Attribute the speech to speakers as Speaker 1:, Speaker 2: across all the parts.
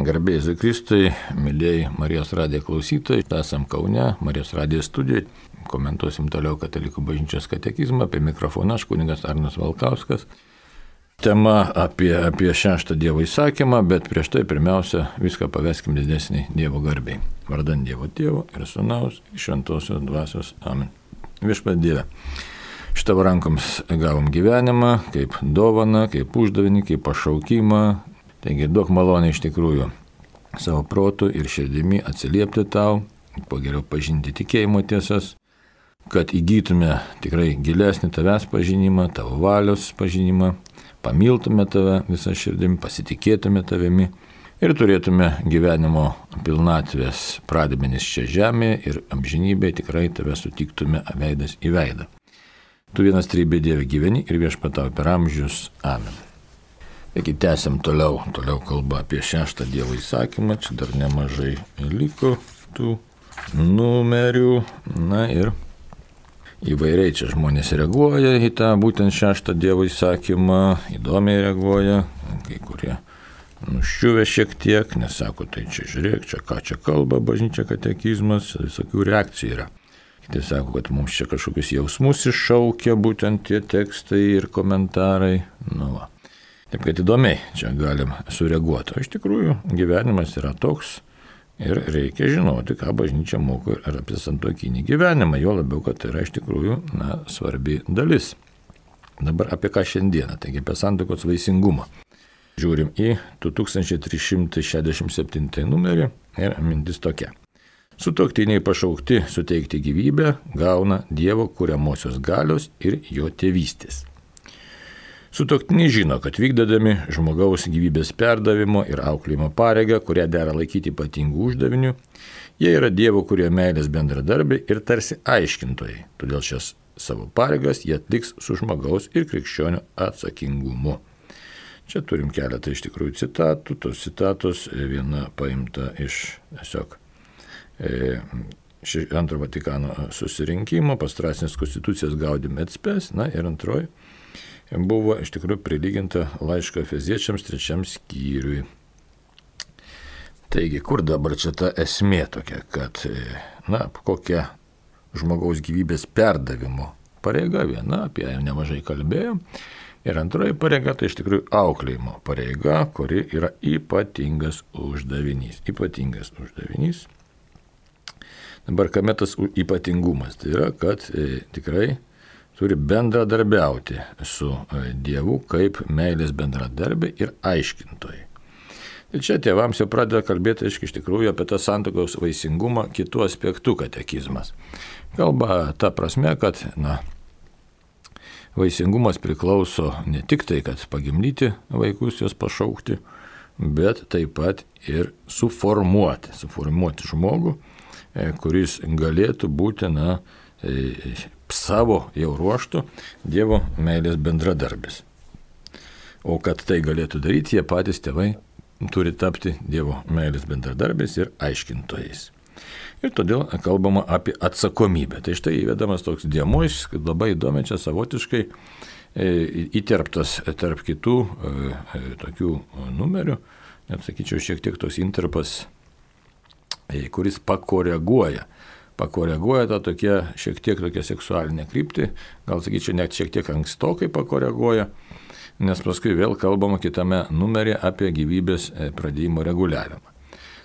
Speaker 1: Garbė Jėzui Kristui, mėlyjei Marijos radijo klausytojai, esam Kaune, Marijos radijo studijoje, komentuosim toliau Katalikų bažnyčios katekizmą, apie mikrofoną aš kunigas Arnas Valkauskas. Tema apie šeštą Dievo įsakymą, bet prieš tai pirmiausia viską paveskim didesnį Dievo garbei. Vardan Dievo Tėvo ir Sūnaus ir Šventosios Dvasios. Amen. Viešpatie Dieve, iš Tavo rankoms gavom gyvenimą, kaip dovaną, kaip uždavinį, kaip pašaukimą. Taigi duok malonę iš tikrųjų savo protu ir širdimi atsiliepti Tau, po geriau pažinti tikėjimo tiesas, kad įgytume tikrai gilesnį Tavęs pažinimą, Tavo valios pažinimą, pamiltume Tave visą širdimi, pasitikėtume Tavimi ir turėtume gyvenimo pilnatvės pradmenis čia žemėje ir amžinybėje tikrai Tave sutiktume veidas į veidą. Tu vienas trybė Dieve gyveni ir viešpatauji per amžius. Amen. Taigi tęsiam toliau kalba apie šeštą Dievo įsakymą, čia dar nemažai liko tų numerių, na ir įvairiai čia žmonės reaguoja į tą būtent šeštą Dievo įsakymą, įdomiai reaguoja, kai kurie nuščiuvę šiek tiek, nes sako, tai čia žiūrėk, čia ką čia kalba bažnyčia katekizmas, visokių reakcijų yra. Kiti sako, kad mums čia kažkokius jausmus iššaukia būtent tie tekstai ir komentarai, nu va. Taip kad įdomiai čia galim sureaguoti. O iš tikrųjų gyvenimas yra toks ir reikia žinoti, ką bažnyčia moko ir apie santuokinį gyvenimą, jo labiau, kad tai yra iš tikrųjų svarbi dalis. Dabar apie ką šiandieną, taigi apie santuokos vaisingumą. Žiūrim į 2367 numerį ir mintis tokia. Sutuoktiniai pašaukti suteikti gyvybę gauna Dievo kuriamosios galios ir jo tėvystės. Sutuoktiniai žino, kad vykdydami žmogaus gyvybės perdavimo ir auklėjimo pareigą, kurią dera laikyti ypatingų uždavinių, jie yra Dievo kurio meilės bendradarbiai ir tarsi aiškintojai, todėl šias savo pareigas jie atliks su žmogaus ir krikščionių atsakingumu. Čia turim keletą iš tikrųjų citatų, tos citatos viena paimta iš tiesiog antro Vatikano susirinkimo, pastrasinės konstitucijos Gaudium et Spes, na ir antroji buvo iš tikrųjų prilyginta laiško Efeziečiams 3 skyriui. Taigi, kur dabar čia ta esmė tokia, kad, kokia žmogaus gyvybės perdavimo pareiga, viena, apie ją nemažai kalbėjom, ir antroji pareiga, tai iš tikrųjų auklėjimo pareiga, kuri yra ypatingas uždavinys. Ypatingas uždavinys. Dabar kame tas ypatingumas? Tai yra, kad tikrai turi bendradarbiauti su Dievu kaip meilės bendradarbė ir aiškintojai. Ir čia tėvams jau pradeda kalbėti, iš tikrųjų, apie tą santuokos vaisingumą kitų aspektų katekizmas. Kalba ta prasme, kad vaisingumas priklauso ne tik tai, kad pagimdyti vaikus, juos pašaukti, bet taip pat ir suformuoti žmogų, kuris galėtų būti savo jau ruoštų Dievo meilės bendradarbis. O kad tai galėtų daryti, jie patys tėvai turi tapti Dievo meilės bendradarbiais ir aiškintojais. Ir todėl kalbama apie atsakomybę. Tai štai įvedamas toks dėmuo, kad labai įdomi čia savotiškai įterptas tarp kitų tokių numerių, net sakyčiau šiek tiek tos interpas, kuris pakoreguoja tą šiek tiek tokia seksualinė kryptį, gal sakyčiau net šiek tiek ankstokai pakoreguoja, nes paskui vėl kalbama kitame numerį apie gyvybės pradėjimo reguliavimą.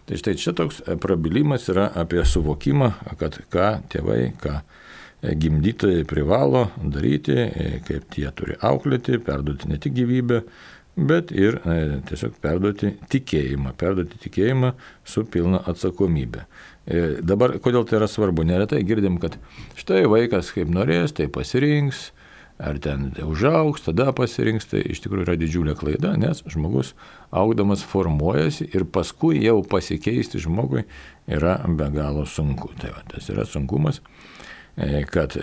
Speaker 1: Tai štai čia toks prabilimas yra apie suvokimą, kad ką tėvai, ką gimdytojai privalo daryti, kaip jie turi auklėti, perduoti ne tik gyvybę, bet ir tiesiog perduoti tikėjimą su pilna atsakomybė. Dabar, kodėl tai yra svarbu? Neretai girdim, kad štai vaikas kaip norės, tai pasirinks, ar ten užaugs, tada pasirinks, tai iš tikrųjų yra didžiulė klaida, nes žmogus augdamas formuojasi ir paskui jau pasikeisti žmogui yra be galo sunku. Tai tas yra sunkumas, kad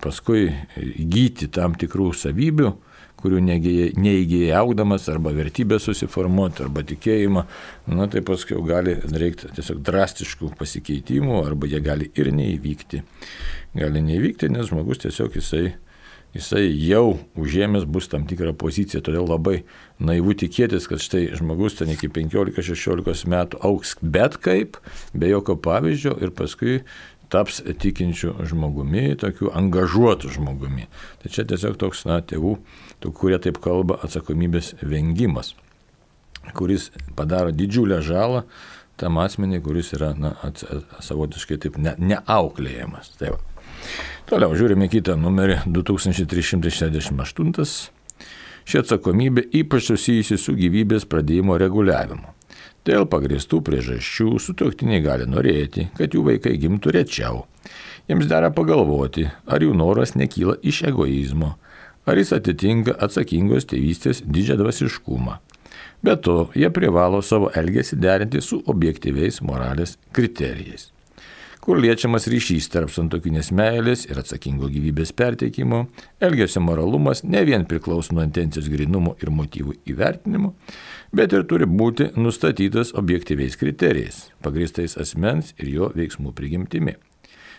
Speaker 1: paskui įgyti tam tikrų savybių, kurių neįgyja augdamas, arba vertybę susiformuoti, arba tikėjimą, tai paskui gali reikti tiesiog drastiškų pasikeitimų, arba jie gali ir neįvykti. Gali neįvykti, nes žmogus tiesiog jisai jisai jau užėmęs bus tam tikrą poziciją, todėl labai naivu tikėtis, kad štai žmogus ten iki 15-16 metų augs bet kaip, be jokio pavyzdžio ir paskui taps tikinčių žmogumi, tokiu angažuotų žmogumi. Tai čia tiesiog toks, tėvų, kurie taip kalba, atsakomybės vengimas, kuris padaro didžiulę žalą tam asmeniui, kuris yra savotiškai taip neauklėjamas. Tai va. Toliau žiūrime kitą numerį 2368. Ši atsakomybė ypač susijusi su gyvybės pradėjimo reguliavimu. Dėl pagrįstų priežasčių sutuoktiniai gali norėti, kad jų vaikai gimtų rečiau. Jiems dera pagalvoti, ar jų noras nekyla iš egoizmo, ar jis atitinka atsakingos tėvystės didžiadvasiškumą. Be to, jie privalo savo elgesį derinti su objektyviais moralės kriterijais, kur liečiamas ryšys tarp santuokinės meilės ir atsakingo gyvybės perteikimo, elgesio moralumas ne vien priklauso nuo intencijos grynumo ir motyvų įvertinimo, bet ir turi būti nustatytas objektyviais kriterijais, pagrįstais asmens ir jo veiksmų prigimtimi.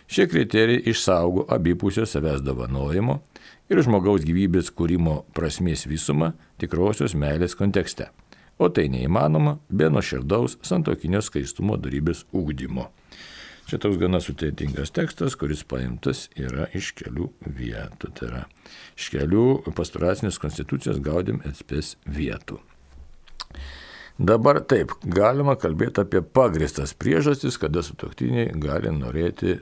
Speaker 1: Šie kriterijai išsaugo abipusio savęs dovanojimo ir žmogaus gyvybės kūrimo prasmės visumą tikrosios meilės kontekste. O tai neįmanoma be nuoširdaus santuokinio skaistumo dorybės ugdymo. Čia toks gana sudėtingas tekstas, kuris paimtas yra iš kelių vietų. Tai yra iš kelių pastoracinės konstitucijos Gaudium et Spes vietų. Dabar taip, galima kalbėti apie pagrįstas priežastis, kada sutuoktiniai gali norėti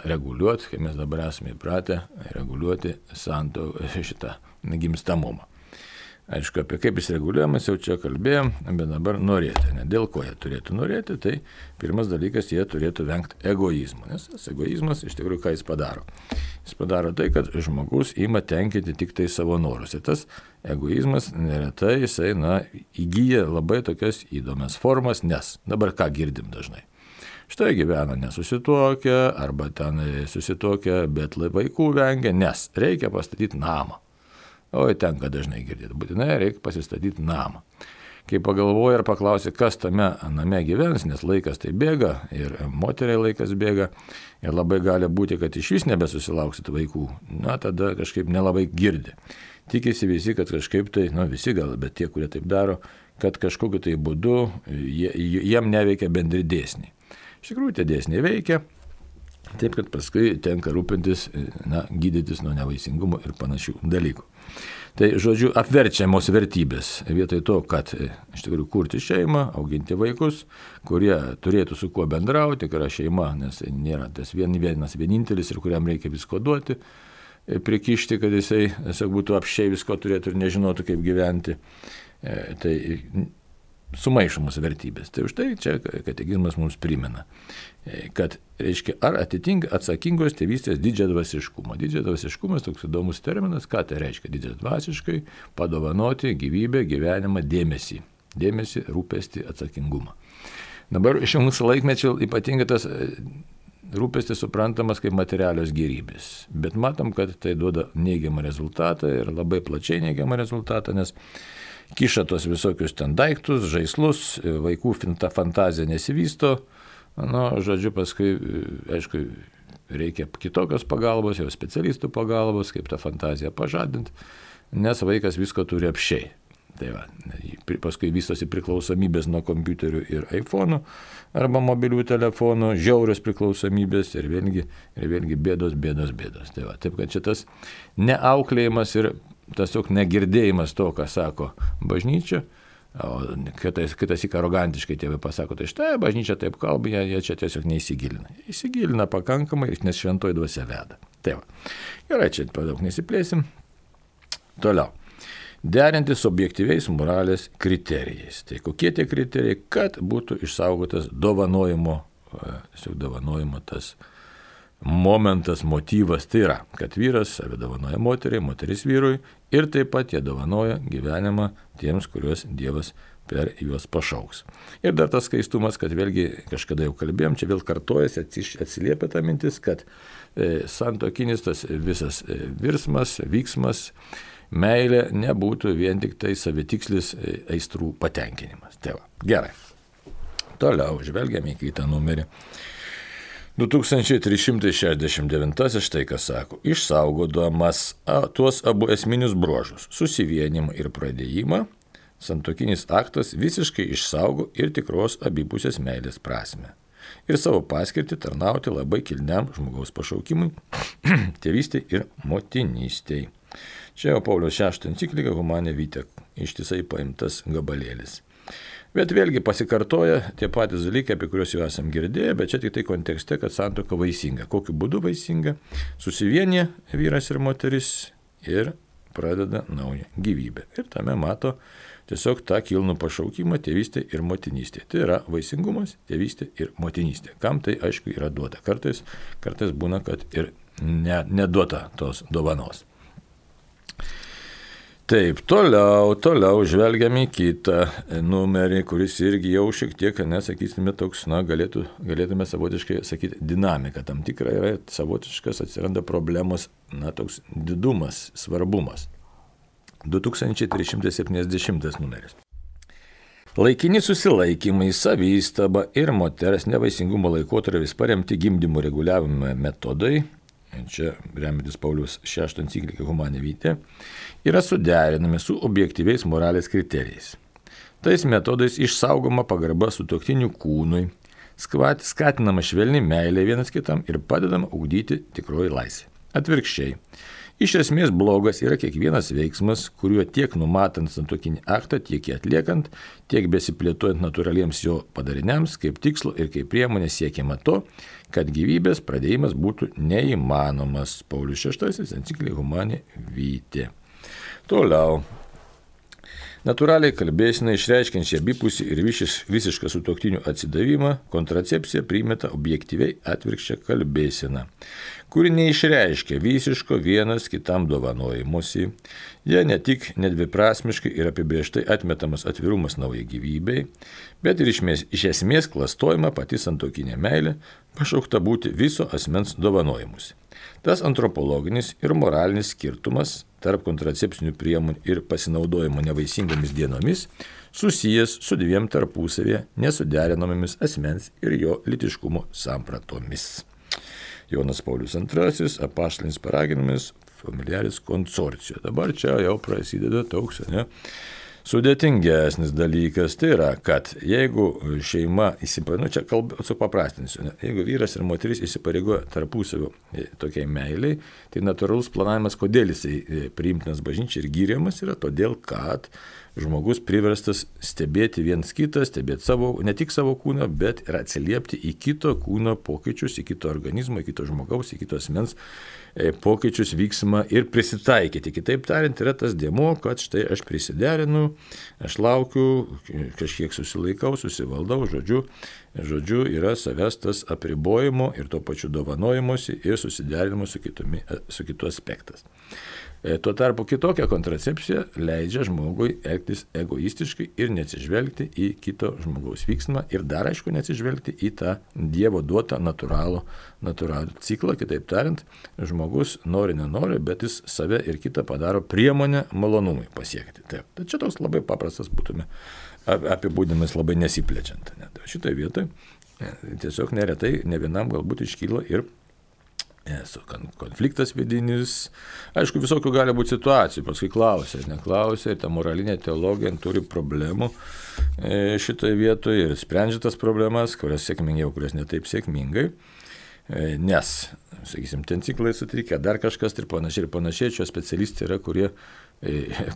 Speaker 1: reguliuoti, kai mes dabar esame įpratę, reguliuoti šitą gimstamumą. Aišku, apie kaip jis reguliuojamas jau čia kalbėjom, bet dabar norėti. Dėl ko jie turėtų norėti, tai pirmas dalykas, jie turėtų vengti egoizmo. Nes tas egoizmas, iš tikrųjų, ką jis padaro? Jis padaro tai, kad žmogus ima tenkinti tik tai savo norus. Ir tas egoizmas neretai jisai, įgyja labai tokias įdomias formas, nes dabar ką girdim dažnai. Štai gyvena nesusituokę, arba ten susituokę, bet vaikų vengia, nes reikia pastatyti namą. O tenka dažnai girdėti, būtinai reikia pasistatyti namą. Kai pagalvoja ir paklausė, kas tame name gyvens, nes laikas tai bėga ir moteriai laikas bėga ir labai gali būti, kad iš vis nebesusilauksit vaikų, tada kažkaip nelabai girdi. Tikisi visi, kad kažkaip tai, visi gal, bet tie, kurie taip daro, kad kažkokiu tai būdu jiem neveikia bendri dėsniai. Iš tikrųjų, tie dėsniai veikia, taip kad paskui tenka rūpintis, gydytis nuo nevaisingumo ir panašių dalykų. Tai, žodžiu, apverčiamos vertybės vietoj to, kad iš tikrųjų kurti šeimą, auginti vaikus, kurie turėtų su kuo bendrauti, tikra šeima, nes nėra tas vienintelis ir kuriam reikia visko duoti, prikišti, kad jisai būtų apsčiai visko turėtų ir nežinotų, kaip gyventi. Tai sumaišomos vertybės. Tai už tai čia katekizmas mums primena, kad, reiškia, ar atitinka atsakingos tėvystės didžiadvasiškumą. Didžiadvasiškumas toks įdomus terminas, ką tai reiškia didžiadvasiškai, padovanoti gyvybę, gyvenimą, dėmesį. Dėmesį, rūpestį, atsakingumą. Dabar iš mūsų laikmečio ypatingai tas rūpestis suprantamas kaip materialios gėrybės. Bet matom, kad tai duoda neigiamą rezultatą ir labai plačiai neigiamą rezultatą, nes kiša tos visokius ten daiktus, žaislus, vaikų fantazija nesivysto. Žodžiu, paskui, aišku, reikia kitokios pagalbos, jau specialistų pagalbos, kaip tą fantaziją pažadinti, nes vaikas visko turi apsčiai. Tai va, paskui vystosi priklausomybės nuo kompiuterių ir iPhone'ų arba mobilių telefonų, žiaurios priklausomybės ir vėlgi bėdos. Tai va, taip kad šitas neauklėjimas ir tiesiog negirdėjimas to, ką sako bažnyčia, o kitas arogantiškai tėvai pasako, tai štai bažnyčia taip kalba, jie čia tiesiog neįsigilina. Įsigilina pakankamai, nes šventoji dvasia veda. Tai va, gerai, čia per daug nesiplėsim. Toliau. Derinti su objektyviais moralės kriterijais. Tai kokie tie kriterijai, kad būtų išsaugotas dovanojimo tas momentas, motyvas, tai yra, kad vyras save dovanoja moteriai, moteris vyrui ir taip pat jie dovanoja gyvenimą tiems, kuriuos Dievas per juos pašauks. Ir dar tas skaistumas, kad vėlgi kažkada jau kalbėjom, čia vėl kartojasi, atsiliepia ta mintis, kad santuokinis tas visas virsmas, vyksmas, meilė nebūtų vien tik tai savitikslis aistrų patenkinimas. Tai va, gerai. Toliau žvelgiame į kitą numerį. 2369 štai kas sako, išsaugodamas tuos abu esminius bruožus - susivienimą ir pradėjimą, santuokinis aktas visiškai išsaugo ir tikros abipusės meilės prasme. Ir savo paskirtį tarnauti labai kilniam žmogaus pašaukimui, tėvystei ir motinystei. Čia jau Pauliaus VI enciklika Humane Vitae ištisai paimtas gabalėlis. Bet vėlgi pasikartoja tie patys dalykai, apie kuriuos jau esam girdėję, bet čia tik tai kontekste, kad santuoka vaisinga. Kokiu būdu vaisinga? Susivienyje vyras ir moteris ir pradeda naują gyvybę. Ir tame mato tiesiog tą kilnų pašaukimą tėvystė ir motinystė. Tai yra vaisingumas, tėvystė ir motinystė. Kam tai aišku yra duota. Kartais būna, kad ir neduota tos dovanos. Taip, toliau žvelgiam į kitą numerį, kuris irgi jau šiek tiek, nesakysime, toks, galėtume savotiškai sakyti, dinamika tam tikra yra, savotiškas atsiranda problemos, toks didumas, svarbumas. 2370 numeris. Laikini susilaikymai, savystaba ir moters nevaisingumo laikotarpis paremti gimdymo reguliavimo metodai, čia remiantis Pauliaus VI enciklika Humane Vitae, yra suderinami su objektyviais moralės kriterijais. Tais metodais išsaugoma pagarba sutuoktinių kūnui, skatinama švelni meilė vienas kitam ir padedama ugdyti tikroji laisvė. Atvirkščiai, iš esmės blogas yra kiekvienas veiksmas, kuriuo tiek numatant santuokinį aktą, tiek jį atliekant, tiek besiplėtojant natūraliems jo padariniams, kaip tikslo ir kaip priemonė siekiama to, kad gyvybės pradėjimas būtų neįmanomas. Paulius VI enciklika Humane Vitae. Toliau. Natūraliai kalbėsina išreiškiančią abipusį ir visišką sutuoktinių atsidavimą, kontracepcija primeta objektyviai atvirkščią kalbėsiną, kuri neišreiškia visiško vienas kitam dovanojimusi. Jie ne tik nedviprasmiškai ir apibrėžtai atmetamas atvirumas naujai gyvybei, bet ir iš esmės klastojama pati santuokinė meilė, pašaukta būti viso asmens dovanojimusi. Tas antropologinis ir moralinis skirtumas tarp kontracepcinių priemonių ir pasinaudojimo nevaisingomis dienomis susijęs su dviem tarpusavėje nesuderinamomis asmens ir jo lytiškumo sampratomis. Jonas Paulius II, apaštalinis paraginimas familiaris consortio. Dabar čia jau prasideda toks, sudėtingesnis dalykas, tai yra, kad jeigu šeima įsipareigoja, čia supaprastinsiu, jeigu vyras ir moteris įsipareigoja tarpusavio tokiai meiliai, tai natūralus planavimas, kodėl jisai priimtinas bažnyčiai ir gyriamas yra, todėl, kad žmogus priverstas stebėti viens kitą, stebėti ne tik savo kūną, bet ir atsiliepti į kito kūno pokyčius, į kito organizmo, į kito žmogaus, į kito asmens pokyčius, vyksmą ir prisitaikyti. Kitaip tariant, yra tas dėmuo, kad štai aš prisiderinu, aš laukiu, kažkiek susilaikau, susivaldau, žodžiu yra savęs tas apribojimo ir to pačiu dovanojimuose ir susiderinimo su kitu aspektas. Tuo tarpu kitokia kontracepcija leidžia žmogui elgtis egoistiškai ir neatsižvelgti į kito žmogaus vyksmą ir dar aišku neatsižvelgti į tą Dievo duotą natūralų ciklą. Kitaip tariant, žmogus nenori, bet jis save ir kitą padaro priemonę malonumui pasiekti. Taip. Tai čia toks labai paprastas būtume apibūdinimas labai nesiplečiant. Šitoje vietoje tiesiog neretai ne vienam galbūt iškyla ir konfliktas vidinis. Aišku, visokių gali būti situacijų, paskui klausia, ir ta moralinė teologija turi problemų šitoje vietoje ir sprendžia tas problemas, kurias sėkmingiau, kurias netaip sėkmingai, nes, sakysim, ten ciklai sutrikę, dar kažkas ir panašiai, čia specialistai yra, kurie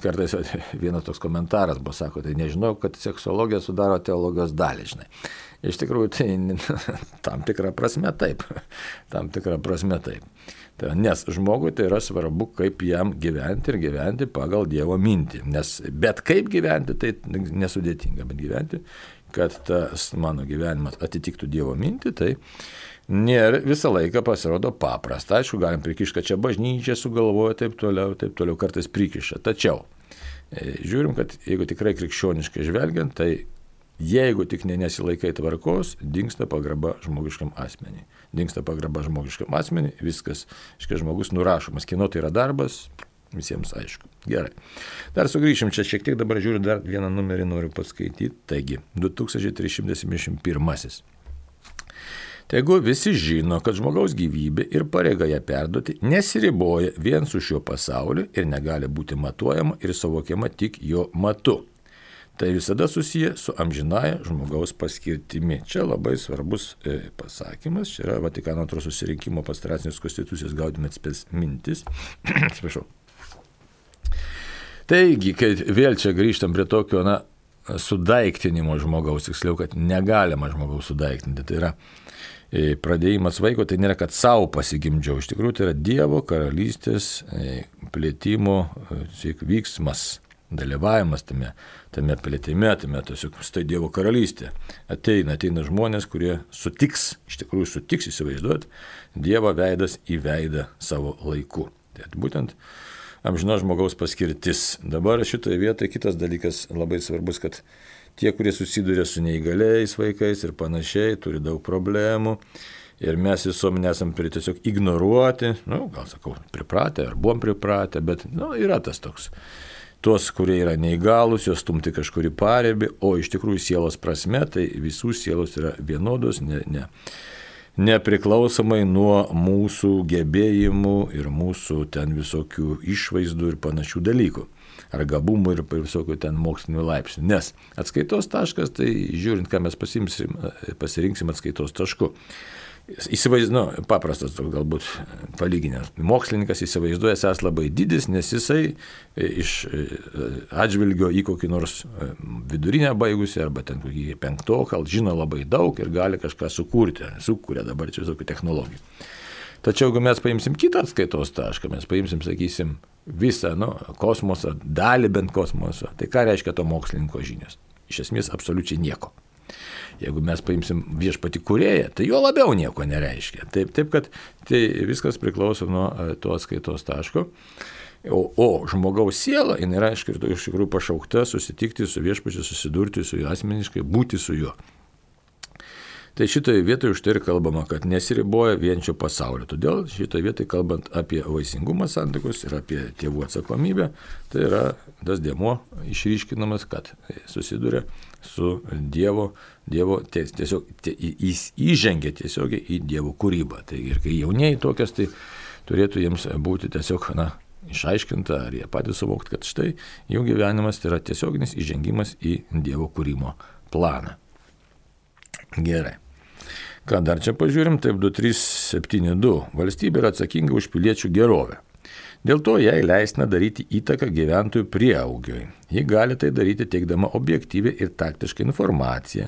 Speaker 1: kartais vienas toks komentaras buvo, sako, tai nežinau, kad seksologija sudaro teologijos dalį, žinai. Iš tikrųjų, tai tam tikrą prasme taip. Nes žmogui tai yra svarbu, kaip jam gyventi ir gyventi pagal Dievo mintį. Bet kaip gyventi, tai nesudėtinga, bet gyventi, kad tas mano gyvenimas atitiktų Dievo mintį, tai nėra visą laiką pasirodo paprasta. Aišku, galim prikišti, kad čia bažnyčia sugalvoja, taip toliau kartais prikiša. Tačiau žiūrim, kad jeigu tikrai krikščioniškai žvelgiant, tai jeigu tik nesilaikai tvarkos, dingsta pagarba žmogiškam asmeniui. Viskas, žmogus nurašomas. Kieno tai yra darbas, visiems aišku. Gerai. Dar sugrįšim čia šiek tiek, dabar žiūriu, dar vieną numerį noriu paskaityti. Taigi, 2371. Tegu visi žino, kad žmogaus gyvybė ir pareiga ją perduoti nesiriboja vien su šiuo pasauliu ir negali būti matuojama ir suvokiama tik jo matu. Tai visada susiję su amžinaja žmogaus paskirtimi. Čia labai svarbus pasakymas, čia yra Vatikano II susirinkimo pastoracinės konstitucijos Gaudium et Spes mintis. Atsiprašau. Taigi, kai vėl čia grįžtam prie tokio, sudaiktinimo žmogaus, tiksliau, kad negalima žmogaus sudaiktinti, tai yra pradėjimas vaiko, tai nėra, kad savo pasigimdžiau, iš tikrųjų tai yra Dievo karalystės plėtimo vyksmas, dalyvavimas tame plėtime, tame tiesiog tai Dievo karalystė. Ateina žmonės, kurie sutiks įsivaizduoti Dievo veidas į veidą savo laiku. Tai būtent amžino žmogaus paskirtis. Dabar šitoje vietoje kitas dalykas labai svarbus, kad tie, kurie susiduria su neįgaliais vaikais ir panašiai, turi daug problemų ir mes visuomenė esam tiesiog ignoruoti, pripratę ar buvom pripratę, bet yra tas toks. Tuos, kurie yra neįgalus, juos stumti kažkurį paribį, o iš tikrųjų sielos prasme, tai visų sielos yra vienodos, nepriklausomai nuo mūsų gebėjimų ir mūsų ten visokių išvaizdų ir panašių dalykų. Ar gabumų ir visokių ten mokslinių laipsnių. Nes atskaitos taškas, tai žiūrint, ką mes pasirinksim atskaitos tašku. Paprastas toks galbūt palyginęs. Mokslininkas įsivaizduoja esąs labai didis, nes jisai iš atžvilgio į kokį nors vidurinę baigusi arba ten kokį penktoką žino labai daug ir gali kažką sukuria dabar čia visokių technologijų. Tačiau, jeigu mes paimsim kitą atskaitos tašką, mes paimsim, sakysim, visą kosmosą, dalį bent kosmoso, tai ką reiškia to mokslininko žinios? Iš esmės absoliučiai nieko. Jeigu mes paimsim viešpatį kūrėją, tai jo labiau nieko nereiškia. Taip kad tai viskas priklauso nuo to atskaitos taško. O žmogaus siela, jinai yra iš tikrųjų pašaukta susitikti su viešpačiu, susidurti su juo asmeniškai, būti su juo. Tai šitoje vietoje už tai ir kalbama, kad nesiriboja vien šio pasaulio. Todėl šitoje vietoje kalbant apie vaisingumą santuokos ir apie tėvų atsakomybę, tai yra tas dėmuo išryškinamas, kad susiduria su Dievo tiesiog įžengia tiesiogiai į Dievo kūrybą. Tai ir kai jaunieji tokias, tai turėtų jiems būti tiesiog išaiškinta, ar jie patys suvokti, kad štai jų gyvenimas tai yra tiesioginis įžengimas į Dievo kūrimo planą. Gerai. Ką dar čia pažiūrim, taip 2372. Valstybė yra atsakinga už piliečių gerovę. Dėl to jai leistina daryti įtaką gyventojų prieaugiui. Ji gali tai daryti teikdama objektyvią ir taktišką informaciją,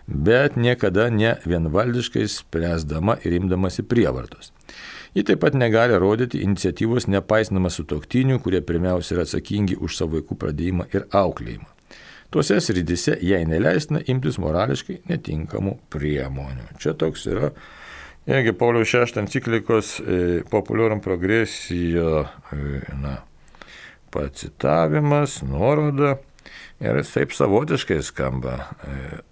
Speaker 1: bet niekada ne vienvaldiškai spręsdama ir imdamasi prievartos. Ji taip pat negali rodyti iniciatyvos nepaisnama sutuoktinių, kurie pirmiausia yra atsakingi už savo vaikų pradėjimą ir auklėjimą. Tuose srityse jai neleistina imtis morališkai netinkamų priemonių. Čia toks yra irgi Pauliaus VI enciklikos Populorum Progressio pacitavimas, nuoroda. Ir taip savotiškai skamba.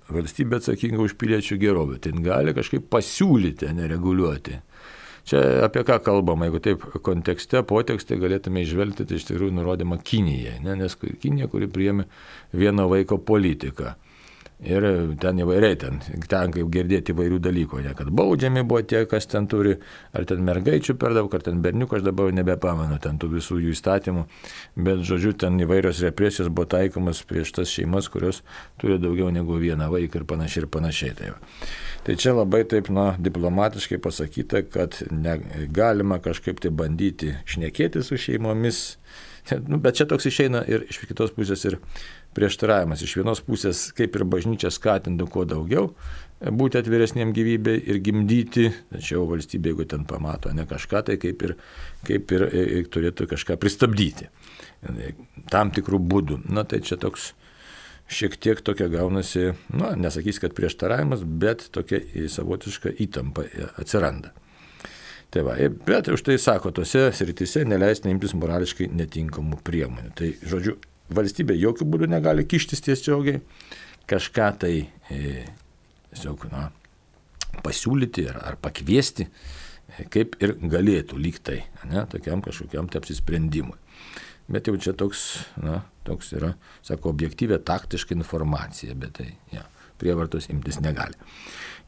Speaker 1: Valstybė atsakinga už piliečių gerovę. Tai gali kažkaip pasiūlyti, nereguliuoti. Čia apie ką kalbama, jeigu taip kontekste, potekste galėtume išvelgti, tai iš tikrųjų nurodymą Kinijai, nes Kinija, kuri priėmė vieno vaiko politiką. Ir ten įvairiai, ten kaip girdėti įvairių dalykų, kad baudžiami buvo tie, kas ten turi, ar ten mergaičių per daug, ar ten berniukų, aš dabar nebepamenu ten tų visų jų įstatymų, bet žodžiu, ten įvairios represijos buvo taikomas prieš tas šeimas, kurios turi daugiau negu vieną vaiką ir panašiai. Tai čia labai taip, diplomatiškai pasakyta, kad negalima kažkaip tai bandyti šnekėti su šeimomis, bet čia toks išeina ir iš kitos pusės ir prieštaravimas. Iš vienos pusės, kaip ir bažnyčia skatintų kuo daugiau būti atviresniem gyvybei ir gimdyti, tačiau valstybė, jeigu ten pamato kažką, tai kaip ir turėtų kažką pristabdyti. Tam tikrų būdų. Tai čia toks šiek tiek tokia gaunasi, nesakys, kad prieštaravimas, bet tokia savotiška įtampa atsiranda. Tai va, bet už tai sako, tose srityse neleistina imtis morališkai netinkamų priemonių. Tai, žodžiu, valstybė jokių būdų negali kištis tiesiogiai, kažką tai tiesiog pasiūlyti ar pakviesti, kaip ir galėtų lyg tai, tokiam kažkokiam apsisprendimui. Bet jau čia toks yra, sako, objektyvė taktiška informacija, bet tai prievartos imtis negali.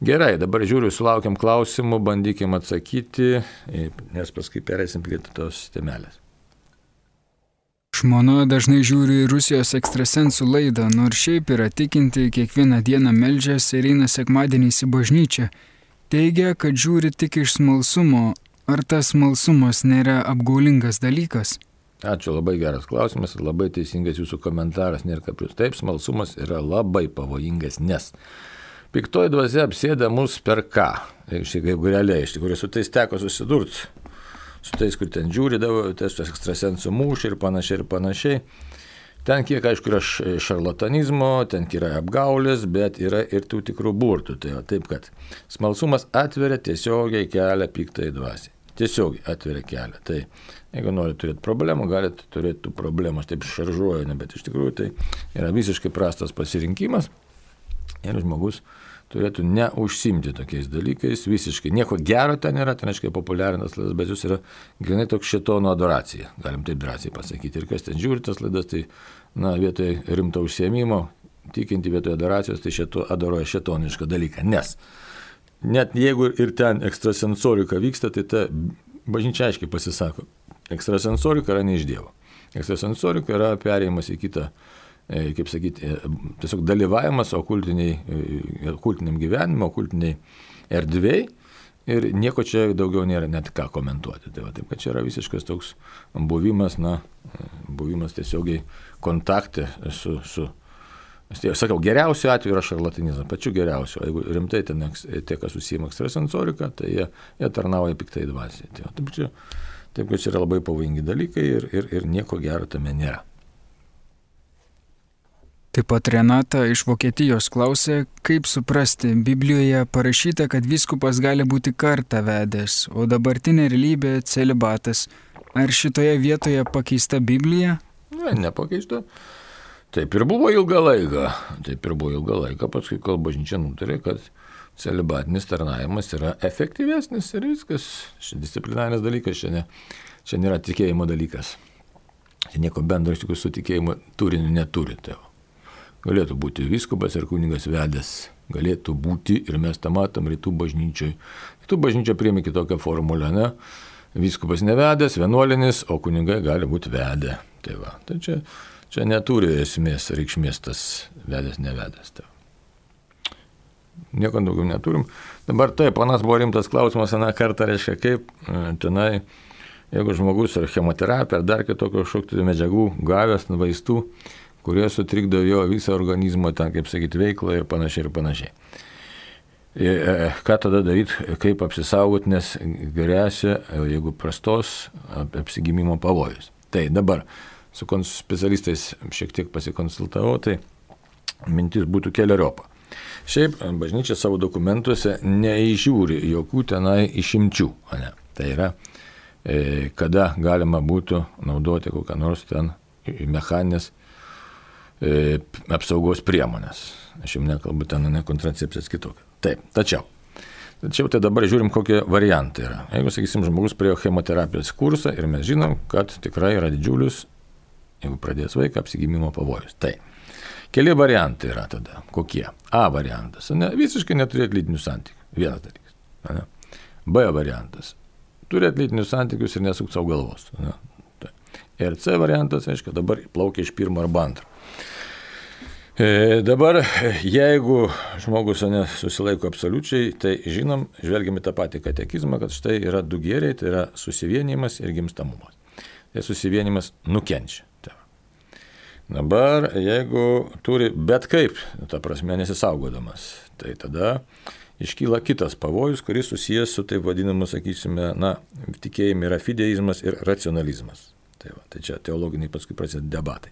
Speaker 1: Gerai, dabar žiūriu, sulaukiam klausimų, bandykim atsakyti, nes paskui pereisim prie tos temelės.
Speaker 2: Žmona dažnai žiūri Rusijos ekstrasensų laidą, nors šiaip yra tikinti, kiekvieną dieną meldžiasi ir eina sekmadieniais į bažnyčią. Teigia, kad žiūri tik iš smalsumo. Ar tas smalsumas nėra apgaulingas dalykas?
Speaker 1: Ačiū, labai geras klausimas ir labai teisingas jūsų komentaras, nėra kaprius. Taip, smalsumas yra labai pavojingas, nes piktoji dvasia apsėda mus per ką? Jeigu realiai, iš tikrųjų, su tais teko susidurti, su tais, kur ten žiūri, tas ekstrasensų mūšį ir panašiai. Ten kiek, aišku, yra šarlatanizmo, ten yra apgaulės, bet yra ir tų tikrų burtų. Tai taip, kad smalsumas atveria tiesiogiai kelią piktai dvasiai. Tiesiogiai atveria kelią. Tai jeigu nori turėti problemų, galite turėti tų problemų. Aš taip šaržuoju, bet iš tikrųjų tai yra visiškai prastas pasirinkimas. Ir žmogus turėtų neužsimti tokiais dalykais, visiškai nieko gero ten yra, ten aiškiai populiarinas laidas, bet jūs yra grinai toks šėtono adoracija, galim taip drąsiai pasakyti. Ir kas ten žiūri tas laidas, tai vietoj rimto užsiėmimo, tikinti vietoj adoracijos, tai adoruoja šėtonišką dalyką. Nes net jeigu ir ten ekstrasensorika vyksta, tai ta bažnyčia aiškiai pasisako, ekstrasensorika yra ne iš Dievo. Ekstrasensorika yra perėjimas į kitą, kaip sakyti, tiesiog dalyvavimas okultiniam gyvenime, okultiniai erdvėjai ir nieko čia daugiau nėra net ką komentuoti. Tai taip, kad čia yra visiškas toks buvimas tiesiogiai kontakte su sakau, geriausiu atveju yra šarlatanizmas, pačiu geriausiu. Jeigu rimtai ten tie, kas užsiima ekstrasensorika, tai jie tarnauja piktai dvasiai. Taip, kad čia yra labai pavojingi dalykai ir nieko gero tame nėra.
Speaker 2: Taip pat Renata iš Vokietijos klausė, kaip suprasti, Biblijoje parašyta, kad vyskupas gali būti kartą vedęs, o dabartinė realybė celibatas. Ar šitoje vietoje pakeista Biblija?
Speaker 1: Ne, nepakeista. Taip ir buvo ilgą laiką, paskui kol bažnyčia nutarė, kad celibatinis tarnavimas yra efektyvesnis ir viskas. Šia disciplinarinis dalykas, čia nėra tikėjimo dalykas. Čia nieko bendro iš tikrųjų su tikėjimo turiniu neturi. Galėtų būti vyskupas ir kunigas vedęs, galėtų būti, ir mes tą matom rytų bažnyčioj. Rytų bažnyčia priėmė kitokią formulę, ne? Vyskupas nevedęs, vienuolinis, o kunigai gali būti vedę. Tai čia neturi esmės, reikšmės tas vedęs, nevedęs. Nieko daugiau neturim. Dabar taip, panas buvo rimtas klausimas, aną kartą reiškia, kaip tenai, jeigu žmogus ar chemoterapija, ar dar kitokio šoktų medžiagų gavęs, vaistų, kurie sutrikdo jo visą organizmo, ten, kaip sakyti, veiklą ir panašiai. Ką tada daryti, kaip apsisaugoti, nes grėsia, jeigu prastos apsigimimo pavojus. Tai dabar su specialistais šiek tiek pasikonsultavau, tai mintis būtų keleriopa. Šiaip bažnyčia savo dokumentuose neįžiūri jokių tenai išimčių. Ne? Tai yra, kada galima būtų naudoti kokią nors ten mechaninės apsaugos priemonės. Aš jums nekalbu ten, ne kontracepcijas kitokia. Taip, tačiau tai dabar žiūrim, kokie variantai yra. Jeigu, sakysim, žmogus praėjo chemoterapijos kursą ir mes žinom, kad tikrai yra didžiulis, jeigu pradės vaiką, apsigimimo pavojus. Tai keli variantai yra tada. Kokie? A variantas. Visiškai neturėti lytinių santykių. Vienas dalykas. Ne? B variantas. Turėti lytinius santykius ir nesukti savo galvos. Ne? Ir C variantas, aiškiai, dabar plaukia iš pirmo arba antro. Dabar, jeigu žmogus susilaiko absoliučiai, tai žinom, žvelgiame tą patį katekizmą, kad štai yra du gėriai, tai yra susivienimas ir gimstamumas. Tai susivienimas nukenčia. Dabar, jeigu turi bet kaip, ta prasme nesisaugodamas, tai tada iškyla kitas pavojus, kuris susijęs su taip vadinamu, sakysime, tikėjime yra fideizmas ir racionalizmas. Tai čia teologiniai paskui prasideda debatai.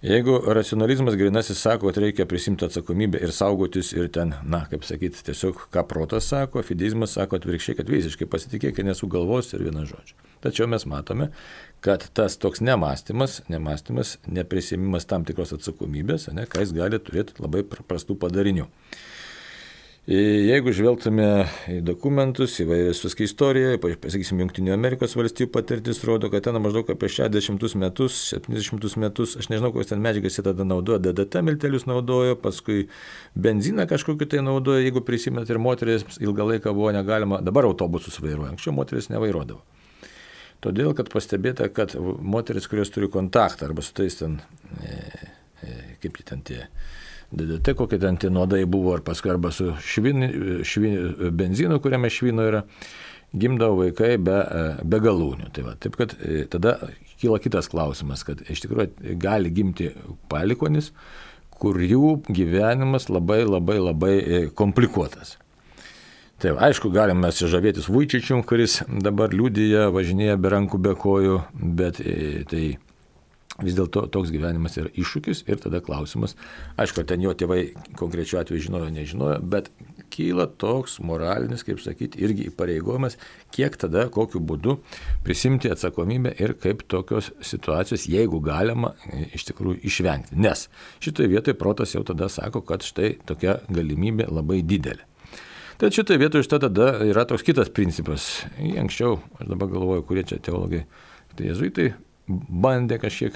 Speaker 1: Jeigu racionalizmas grinasis sako, kad reikia prisimti atsakomybę ir saugotis ir ten, kaip sakyti, tiesiog ką protas sako, fideizmas sako atvirkščiai, kad visiškai pasitikėkite nesugalvos ir vieną žodžią. Tačiau mes matome, kad tas toks nemąstymas, neprisimimas tam tikros atsakomybės, ką jis gali turėti labai prastų padarinių. Jeigu žvelgtume į dokumentus, įvairius istorijoje, pasakysim, Junktinių Amerikos valstijų patirtis rodo, kad ten maždaug apie 60 metus, 70 metus, aš nežinau, kokios ten medžiagas jie tada naudojo, DDT miltelius naudojo, paskui benziną kažkokį tai naudojo, jeigu prisimėt, ir moteris ilgą laiką buvo negalima, dabar autobusus vairuoja, anksčiau moteris nevairuodavo. Todėl, kad pastebėta, kad moteris, kurios turi kontaktą arba su tais ten, kaip ten tie, DDT, kokie ten tie nuodai buvo, ar paskui arba su benzinu, kuriame švino yra, gimdavo vaikai be galūnių. Tai va, taip kad tada kyla kitas klausimas, kad iš tikrųjų gali gimti palikonis, kur jų gyvenimas labai komplikuotas. Tai aišku, galime mes žavėtis Vujčičium, kuris dabar liudija, važinėja be rankų, be kojų, bet tai vis dėlto toks gyvenimas yra iššūkis ir tada klausimas, aišku, ten jo tėvai konkrečiu atveju žinojo, nežinojo, bet kyla toks moralinis, kaip sakyti, irgi įpareigojimas, kiek tada, kokiu būdu prisimti atsakomybę ir kaip tokios situacijos, jeigu galima, iš tikrųjų išvengti. Nes šitoje vietoje protas jau tada sako, kad štai tokia galimybė labai didelė. Tad šitoje vietoje tada yra toks kitas principas. Anksčiau, aš dabar galvoju, kurie čia teologai, tai jėzuitai bandė kažkiek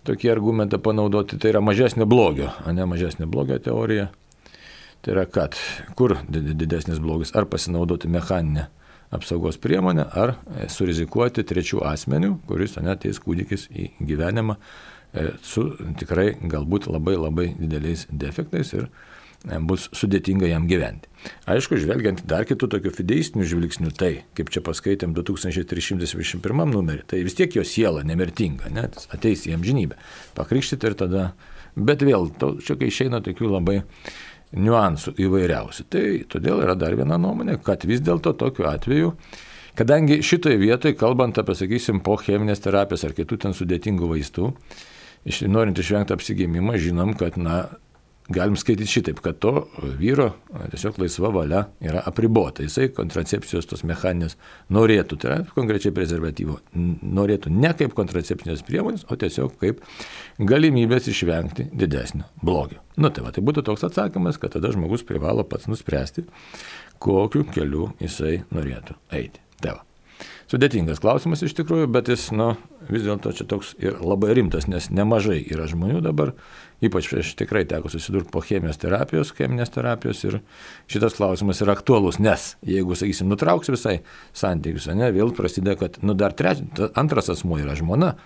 Speaker 1: tokį argumentą panaudoti, tai yra mažesnio blogio, ne mažesnio blogio teorija. Tai yra, kad kur didesnis blogis, ar pasinaudoti mechaninę apsaugos priemonę, ar surizikuoti trečių asmenių, kuris ateis kūdikis į gyvenimą su tikrai galbūt labai dideliais defektais ir bus sudėtinga jam gyventi. Aišku, žvelgiant dar kitų tokių fideistinių žvilgsnių, tai, kaip čia paskaitėm 2321 numerį, tai vis tiek jo siela nemirtinga, net ateis į amžinybę, pakrikštyti ir tada, bet vėl, čia kai išeina tokių labai niuansų įvairiausių. Tai todėl yra dar viena nuomonė, kad vis dėlto tokiu atveju, kadangi šitoje vietoje, kalbant apie, sakysim, po cheminės terapijos ar kitų ten sudėtingų vaistų, norint išvengti apsigimimą, žinom, kad, galim skaityti šitaip, kad to vyro tiesiog laisva valia yra apribota. Jisai kontracepcijos tos mechaninės norėtų, tai yra konkrečiai prezervatyvo, norėtų ne kaip kontracepcinės priemonės, o tiesiog kaip galimybės išvengti didesnio blogio. Tai būtų toks atsakymas, kad tada žmogus privalo pats nuspręsti, kokiu keliu jisai norėtų eiti. Tai va. Sudėtingas klausimas iš tikrųjų, bet jis, vis dėlto čia toks ir labai rimtas, nes nemažai yra žmonių dabar, ypač aš tikrai teko susidurti po cheminės terapijos ir šitas klausimas yra aktualus, nes jeigu, sakysim, nutrauks visai santykius, vėl prasideda, kad dar antras asmuo yra žmona,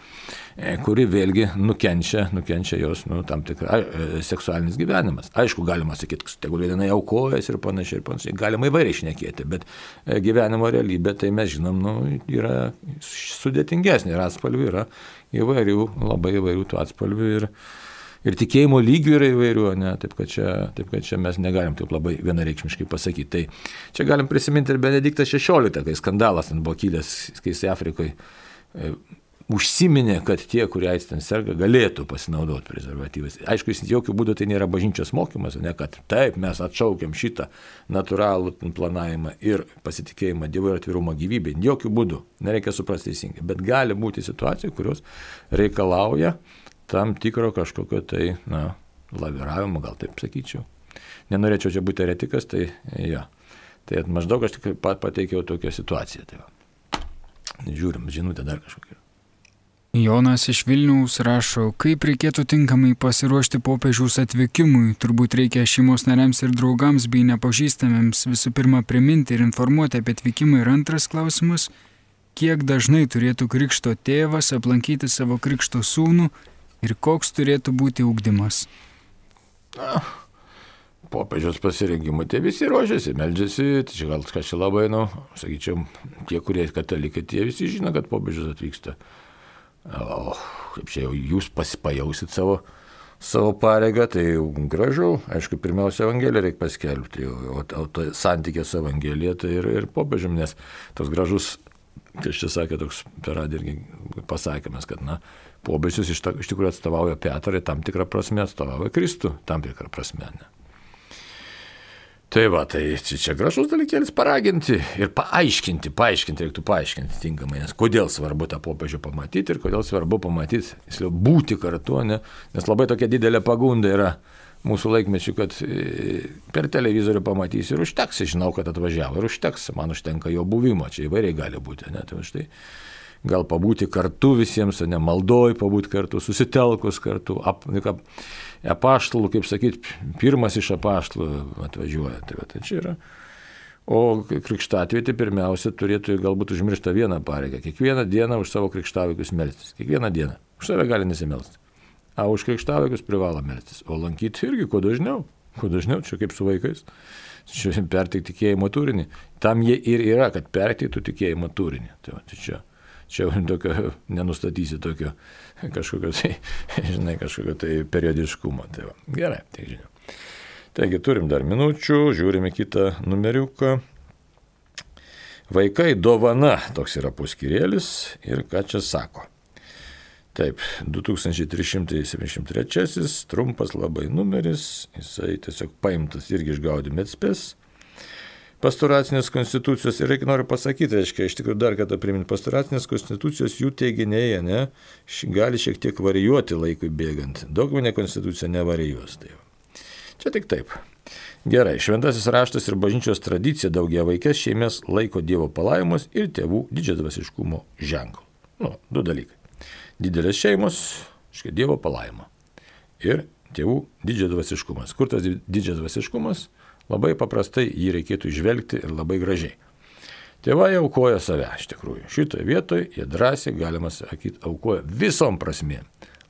Speaker 1: kuri vėlgi nukenčia jos tam tikra seksualinis gyvenimas. Aišku, galima sakyti, tegul vienai aukojasi ir panašiai, galima įvairiai šnekėti, bet gyvenimo realybė, tai mes žinom, yra sudėtingesnė ir atspalvių yra įvairių, labai įvairių tų atspalvių ir tikėjimo lygių yra įvairių, taip kad čia mes negalim taip labai vienareikšmiškai pasakyti. Tai čia galim prisiminti ir Benediktą XVI, kai skandalas ten buvo kilęs, kai jis Afrikoje užsiminė, kad tie, kurie ten serga, galėtų pasinaudoti prezervatyvais. Aišku, jis jokių būdų tai nėra bažnyčios mokymas, kad taip mes atšaukiam šitą natūralų planavimą ir pasitikėjimą Dievu ir atvirumą gyvybei. Jokių būdų, nereikia suprasti teisingai, bet gali būti situacijų, kurios reikalauja tam tikro kažkokio tai, laviravimo, gal taip sakyčiau. Nenorėčiau čia būti eretikas, tai jo. Tai maždaug aš tik pateikiau tokią situaciją. Tai va. Žiūrim, žinutė dar kažkokia.
Speaker 2: Jonas iš Vilniaus rašo, kaip reikėtų tinkamai pasiruošti popiežiaus atvykimui. Turbūt reikia šeimos nariams ir draugams bei nepažįstamiems visų pirma priminti ir informuoti apie atvykimą. Ir antras klausimas, kiek dažnai turėtų krikšto tėvas aplankyti savo krikšto sūnų ir koks turėtų būti ugdymas?
Speaker 1: Popiežiaus pasirinkimui tai visi ruošiasi, meldžiasi, tai čia gal kažkaip labai, sakyčiau, tie, kurie katalikai, tie visi žino, kad popiežius atvyksta. O kaip čia jau jūs pajausit savo pareigą, tai gražu, aišku, pirmiausia Evangeliją reikia paskelbti, o santykė su Evangelija tai ir popiežium, nes toks gražus, kai čia sakė, toks per radiją irgi pasakymas, kad popiežius iš tikrųjų atstovauja Petrą, tam tikrą prasme atstovauja Kristų, tam tikrą prasme. Tai va, tai čia gražus dalykėlis paraginti ir paaiškinti reiktų tinkamai, nes kodėl svarbu tą popiežių pamatyti ir kodėl svarbu pamatyti, būti kartu, nes labai tokia didelė pagunda yra mūsų laikmečių, kad per televizorių pamatysi ir užteks, žinau, kad atvažiavo ir užteks, man užtenka jo buvimo, čia įvairiai gali būti, ne, tai štai gal pabūti kartu visiems, ne, maldoj pabūti kartu, susitelkus kartu, apaštalų, kaip sakyti, pirmas iš apaštalų atvažiuoja, tai čia yra. O krikštatvietė pirmiausia turėtų galbūt užmiršti vieną pareigą. Kiekvieną dieną už savo krikštavaikus melstis. Kiekvieną dieną. Už save gali nesimelsti. O už krikštavaikus privalo melstis. O lankyti irgi kuo dažniau. Kuo dažniau, čia kaip su vaikais. Čia perteikti tikėjimo turinį. Tam jie ir yra, kad perteiktų tikėjimo turinį. Tai čia tokio, nenustatysi tokio kažkokio tai, žinai, kažkokio tai periodiškumo. Tai va. Gerai, tai žinau. Taigi turim dar minučių, žiūrime kitą numeriuką. Vaikai dovana, toks yra puskyrėlis ir ką čia sako. Taip, 2373, trumpas labai numeris, jisai tiesiog paimtas irgi iš Gaudium et Spes. Pastoracinės konstitucijos, ir noriu pasakyti, reiškia, iš tikrųjų dar kartą priminti, pastoracinės konstitucijos jų teiginiai, ne, gali šiek tiek varijuoti laikui bėgant. Dogminė konstitucija nevarijuos. Tai čia tik taip. Gerai, šventasis raštas ir bažnyčios tradicija daugiavaikes šeimas laiko Dievo palaimus ir tėvų didžiadvasiškumo ženklų. Du dalykai. Didelės šeimos, Dievo palaimo. Ir tėvų didžiadvasiškumas. Kur tas didžiadvasiškumas? Labai paprastai jį reikėtų žvelgti ir labai gražiai. Tėvai aukoja save, iš tikrųjų. Šitoje vietoje jie drąsiai, galima sakyti, aukoja visom prasmėm.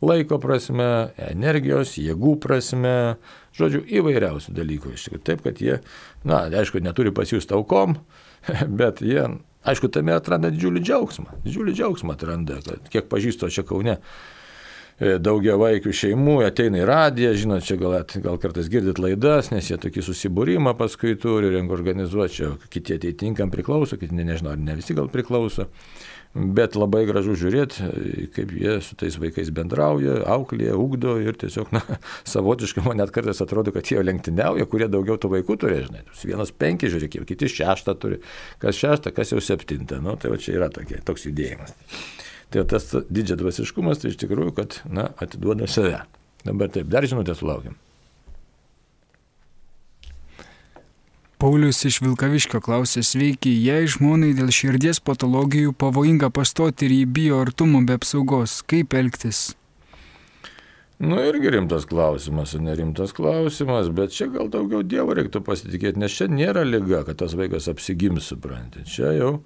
Speaker 1: Laiko prasme, energijos, jėgų prasme, žodžiu, įvairiausių dalykų. Taip, kad jie, aišku, neturi pasijusti aukom, bet jie, aišku, tame atranda didžiulį džiaugsmą. Didžiulį džiaugsmą atranda, kad kiek pažįsto čia Kaune daugiavaikių šeimų, ateina į radiją, žinot, čia gal kartais girdit laidas, nes jie tokį susibūrimą paskui turi, organizuoti, čia kiti atitinkam priklauso, kiti nežinau, ar ne visi gal priklauso. Bet labai gražu žiūrėti, kaip jie su tais vaikais bendrauja, auklėja, ugdo ir tiesiog, savotiškai man net kartais atrodo, kad jie lenktyniauja, kurie daugiau tų vaikų turi, žinai. Vienas 5, žiūrėk, kiti 6 turi, kas 6, kas jau 7, tai va čia yra toks judėjimas. Tai tas didžiadvasiškumas, tai iš tikrųjų, kad, atiduoda save. Dabar taip, dar žinutę sulaukiam.
Speaker 2: Paulius iš Vilkaviškio klausė, sveiki, jei žmonai dėl širdies patologijų pavojinga pastoti ir jį bijo artumo be apsaugos, kaip elgtis?
Speaker 1: Irgi rimtas klausimas, nerimtas klausimas, bet čia gal daugiau Dievo reiktų pasitikėti, nes čia nėra liga, kad tas vaikas apsigims, supranti. Čia jau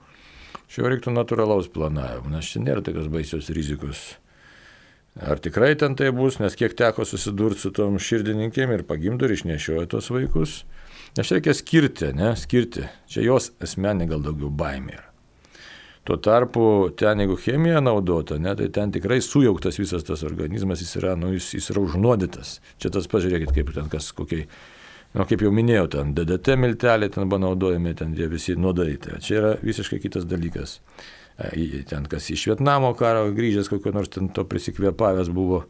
Speaker 1: reiktų natūralaus planavimo, nes čia nėra tokios baisios rizikos. Ar tikrai ten tai bus, nes kiek teko susidurti su tom širdininkėm ir pagimdo ir išnešioja tos vaikus. Nes reikia skirti. Čia jos asmenė gal daugiau baimė yra. Tuo tarpu ten, jeigu chemija naudota, tai ten tikrai sujauktas visas tas organizmas, jis yra užnuodytas. Čia tas pažiūrėkit, kaip ten kas kokiai, kaip jau minėjau, ten DDT milteliai ten buvo naudojami, ten jie visi nuodai. Čia yra visiškai kitas dalykas. Ten kas iš Vietnamo karo grįžęs, kokio nors ten to prisikvėpavęs buvo,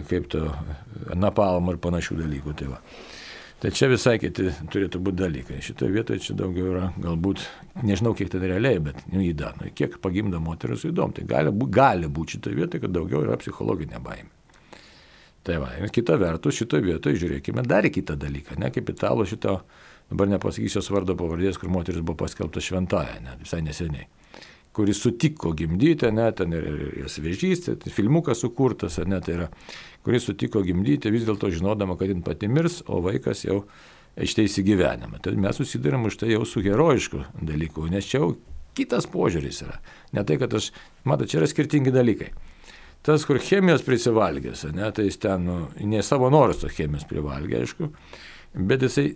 Speaker 1: kaip to napalmo ir panašių dalykų. Tai čia visai kiti turėtų būti dalykai. Šitoje vietoje čia daugiau yra, galbūt, nežinau kiek tai realiai, bet įdomu. Kiek pagimda moteris įdomu. Tai gali būti šitoje vietoje, kad daugiau yra psichologinė baimė. Tai va, ir kita vertus, šitoje vietoje žiūrėkime dar į kitą dalyką. Kaip italų šito, dabar nepasakysiu vardo pavardės, kur moteris buvo paskelbta šventaja, visai neseniai. Kuris sutiko gimdyti, ten ir svežys, filmukas sukurtas, tai yra, kuris sutiko gimdyti, vis dėlto žinodama, kad jin pati mirs, o vaikas jau išteisi gyvenimą. Tai mes susidarėm už tai jau su herojišku dalyku, nes čia jau kitas požiūris yra. Ne tai, kad čia yra skirtingi dalykai. Tas, kur chemijos prisivalgęs, tai jis ten, ne savo norus tos chemijos privalgė, aišku, bet jisai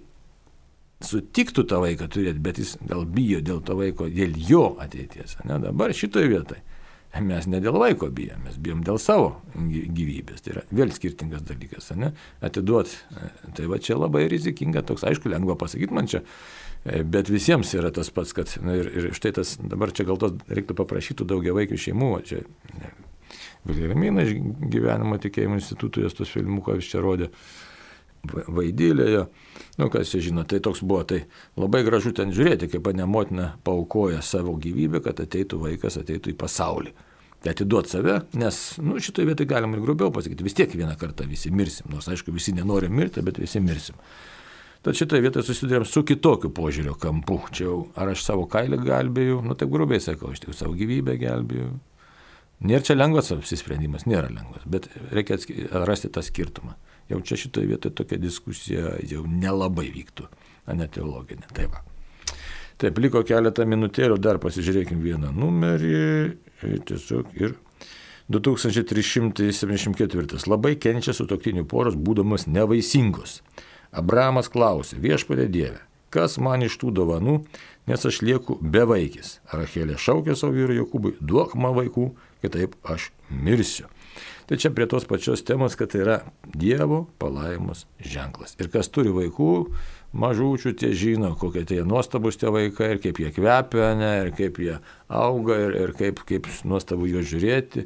Speaker 1: sutiktų tą vaiką turėti, bet jis gal bijo dėl to vaiko, dėl jo ateities. Dabar šitoje vietoje mes ne dėl vaiko bijom, mes bijom dėl savo gyvybės. Tai yra vėl skirtingas dalykas. Atiduoti. Tai va čia labai rizikinga, toks aišku, lengva pasakyti man čia, bet visiems yra tas pats, kad ir štai tas, dabar čia gal tos reiktų paprašytų daugiavaikių šeimų, čia Vilhelmina iš gyvenimo tikėjimo institutų, jos tos filmukas čia rodė. Vaidylėje, kas čia žino, tai toks buvo, tai labai gražu ten žiūrėti, kaip motina paaukoja savo gyvybę, kad ateitų vaikas, ateitų į pasaulį. atiduoti save, nes šitoje vietoje galima ir grubiau pasakyti, vis tiek vieną kartą visi mirsim, nors aišku visi nenori mirti, bet visi mirsim. Tad šitoje vietoje susidurėm su kitokiu požiūrio kampu. Čia jau ar aš savo kailį gelbėjau, taip grubiai sakau, aš tik savo gyvybę gelbėjau. Nėra čia lengvas apsisprendimas, nėra lengvas, bet reikia rasti tą skirtumą. Jau čia šitoje vietoje tokia diskusija jau nelabai vyktų, ne teologinė. Taip, liko keletą minutėlių, dar pasižiūrėkim vieną numerį, tiesiog ir 2374. Labai kenčia sutuoktinių poros, būdamas nevaisingos. Abrahamas klausė, viešpatie Dieve, kas man iš tų dovanų, nes aš lieku bevaikis. Rachelė šaukė savo vyrui Jokūbui, duok man vaikų, kitaip aš mirsiu. Tai čia prie tos pačios temos, kad tai yra Dievo palaimos ženklas. Ir kas turi vaikų, mažučių, tie žino, kokie tie nuostabus tie vaikai, ir kaip jie kvepia, ir kaip jie auga, ir kaip nuostabu juos žiūrėti,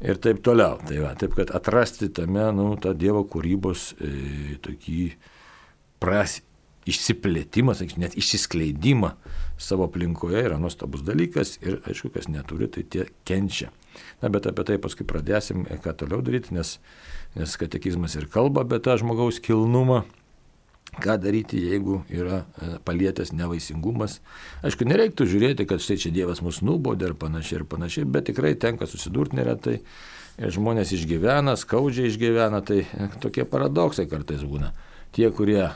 Speaker 1: ir taip toliau. Taip, kad atrasti tame, tą Dievo kūrybos tokį išsiplėtimą, net išsiskleidimą savo aplinkoje yra nuostabus dalykas ir, aišku, kas neturi, tai tie kenčia. Bet apie tai paskui pradėsim, ką toliau daryti, nes katekizmas ir kalba apie tą žmogaus kilnumą, ką daryti, jeigu yra palietęs nevaisingumas. Aišku, nereiktų žiūrėti, kad štai čia Dievas mus nubaudė ir panašiai, bet tikrai tenka susidurti neretai. Ir žmonės išgyvena, skaudžiai išgyvena, tai tokie paradoksai kartais būna. Tie, kurie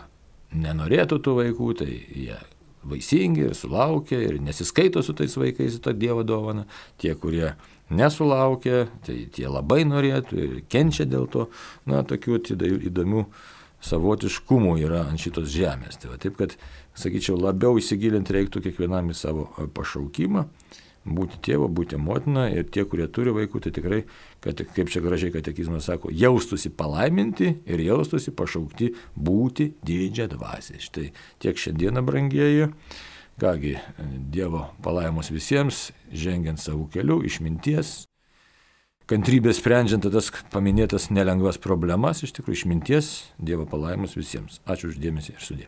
Speaker 1: nenorėtų tų vaikų, tai jie vaisingi ir sulaukia ir nesiskaito su tais vaikais tą Dievo dovaną. Tie, kurie nesulaukia, tai tie labai norėtų ir kenčia dėl to. Tokių įdomių savotiškumų yra ant šitos žemės. Taip, kad, sakyčiau, labiau įsigilinti reiktų kiekvienam į savo pašaukimą, būti tėvo, būti motina, ir tie, kurie turi vaikų, tai tikrai, kad, kaip čia gražiai katekizmas sako, jaustųsi palaiminti ir jaustųsi pašaukti būti didžią dvasią. Štai tiek šiandieną, brangieji. Kągi, Dievo palaimos visiems, žengiant savo keliu, išminties, kantrybės sprendžiant tas paminėtas nelengvas problemas, iš tikrųjų išminties, Dievo palaimos visiems. Ačiū už dėmesį ir sudie.